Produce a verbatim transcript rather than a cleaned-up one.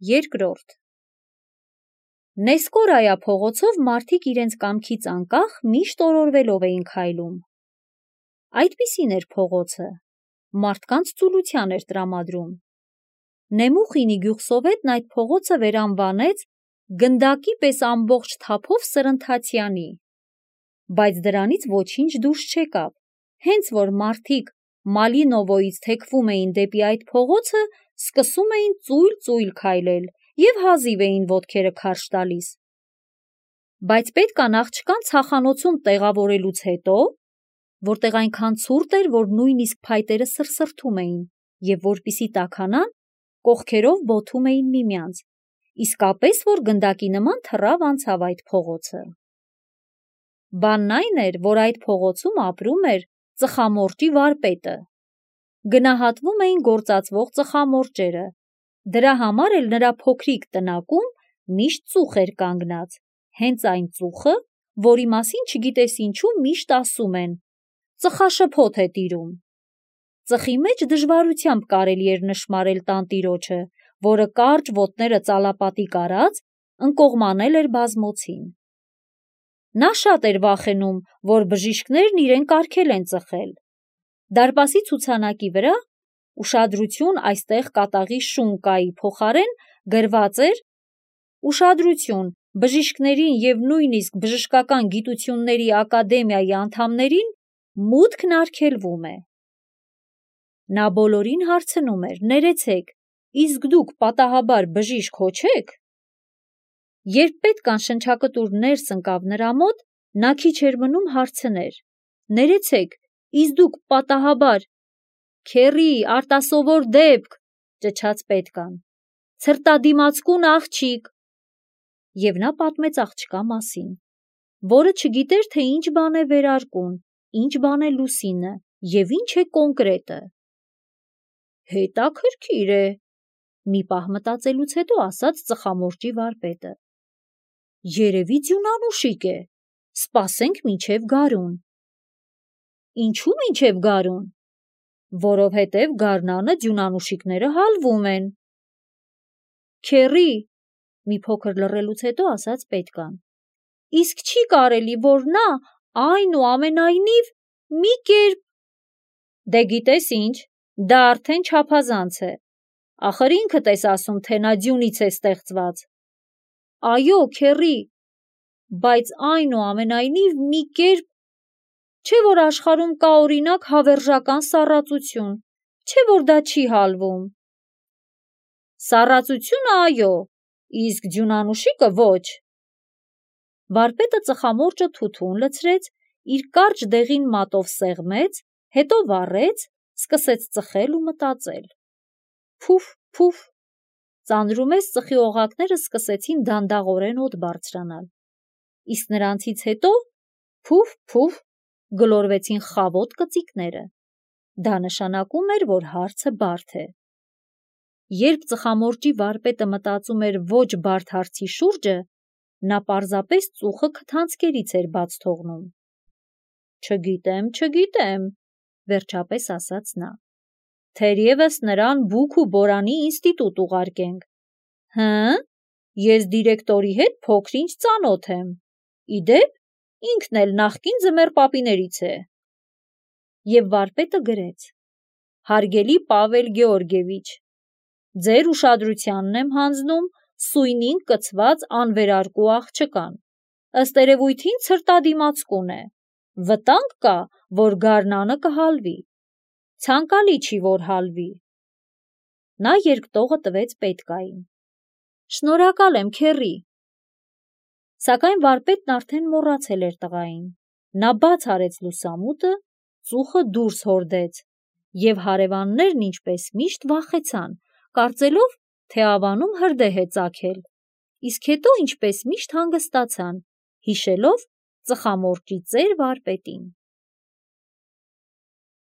Երկրորդ Նեսկորայա փողոցով մարդիկ իրենց կամքից անկախ միշտ օրորվելով էին քայլում։ Այդպիսին էր փողոցը, մարդկանց ծուլության էր տրամադրում։ Նեմուխինի գյուղսովետն այդ փողոցը վերանվանեց գնդակի պես ամբողջ թափով սրընթացյանի, բայց դրանից ոչինչ դուրս չեկավ, հենց որ մարդիկ Մալինովոյից թեքվում էին դեպի այդ փողոցը, սկսում էին ծույլ-ծույլ քայլել և հազիվ էին ոտքերը քարշ տալիս։ Բայց պետք է աղջկան ցախանոցում տեղավորելուց հետո, որտեղ այնքան ցուրտ էր, որ նույնիսկ փայտերը սրսրթում էին, և որպեսզի տաքանան, կողքերով բոթում էին միմյանց, իսկապես որ գնդակի նման թռավ անցավ այդ փողոցը։ Բանն այն էր, որ այդ փողոցում ապրում էր ծխամորճի վարպետը։ Գնահատվում էին գործածվող ծխամորճերը, դրա համար էլ նրա փոքրիկ տնակում միշտ ծուխ էր կանգնած, հենց այն ծուխը, որի մասին չգիտես ինչու միշտ ասում են. ծխաշփոթ է տիրում։ Ծխի մեջ դժվարությամբ կարելի էր նշմարել տանտիրոջը, որը կարճ ոտները ծալապատիկ արած, ընկողմանել էր բազմոցին։ Նա շատ էր վախենում, որ բժիշկներն իրեն կարգել են ծխել։ Դարպասի ցուցանակի վրա «Ուշադրություն, այստեղ կատաղի շուն կայի» փոխարեն գրված էր «Ուշադրություն, բժիշկներին և նույնիսկ բժշկական գիտությունների ակադեմիայի անդամներին մուտքն արգելվում է»։ Նա բոլորին հարցնում էր. «Ներեցեք, իսկ դուք պատահաբար բժիշկ հո չե՞ք»։ Երբ պետք անշնչակտուր ներս ընկավ նրա մոտ, նա քիչ էր մնում հարցներ. «Ներեցեք, իսկ դուք պատահաբար…» «Քեռի, արտասովոր դեպք», ճչաց պետկան, «ցրտադիմացկուն աղջիկ»։ Եվ նա պատմեց աղջկա մասին, որը չգիտեր, թե ինչ բան է վերարկուն, ինչ բան է լուսինը և ինչ է կոնկրետը։ «Հետաքրքիր է», մի պահ մտածելուց հետո ասաց ծխամորճի վարպետը։ «Երևի ձյունանուշիկ է, սպասենք մինչև գարուն»։ «Ինչու մինչև գարուն»։ «Որովհետև գարնանը ձյունանուշիկները հալվում են»։ «Քեռի», մի փոքր լռելուց հետո ասաց պետկան, «իսկ չի կարելի, որ նա այնուամենայնիվ մի կերպ…» «Դե գիտես ինչ, դա արդեն չափազանց է, ախր ինքդ ես ասում, թե նա ձյունից է ստեղծված»։ «Այո, քեռի, բայց այնուամենայնիվ մի կերպ… Չէ՞ որ աշխարհում կա օրինակ հավերժական սառածություն, չէ՞ որ դա չի հալվում»։ «Սառածությունը՝ այո, իսկ ձյունանուշիկը՝ ոչ»։ Վարպետը ծխամորճը թութուն լցրեց, իր կարճ դեղին մատով սեղմեց, հետո վառեց, սկսեց ծխել ու մտածել։ Փուֆ, փուֆ, ծանրումես ծխի օղակները սկսեցին դանդաղորեն օդ բարձրանալ, իսկ նրանցից հետո փուֆ, փուֆ, գլորվեցին խավոտ կծիկները։ Դա նշանակում էր, որ հարցը բարդ է։ Երբ ծխամորճի վարպետը մտածում էր ոչ բարդ հարցի շուրջը, նա պարզապես ծուխը քթանցկերից էր բաց թողնում։ «Չգիտեմ, չգիտեմ», վերջապես ասաց նա։ «Թերևս նրան բուք ու բորանի ինստիտուտ ուղարկենք»։ «Հը՞, ես դիրեկտորի հետ փոքր-ինչ ծանոթ եմ։ Ի դեպ, ինքն էլ նախկին ձմեռապիներից է»։ Եվ վարպետը գրեց. «Հարգելի Պավել Գեորգիևիչ, ձեր ուշադրությանն եմ հանձնում սույնին կցված անվերարկու աղջկան, ըստ երևույթին ցրտադիմացկուն է, վտանգ կա, որ գարնանը կհալվի, ցանկալի չի, որ հալվի»։ Նա երկտողը տվեց պետկային։ «Շնորհակալ եմ, քեռի»։ Սակայն վարպետն արդեն մոռացել էր տղային։ Նա բաց արեց լուսամուտը, ծուխը դուրս հորդեց, և հարևաններն ինչպես միշտ վախեցան, կարծելով, թե ավանում հրդեհ է ծագել, իսկ հետո ինչպես միշտ հանգստացան, հիշելով ծխամորճի ծեր վարպետին։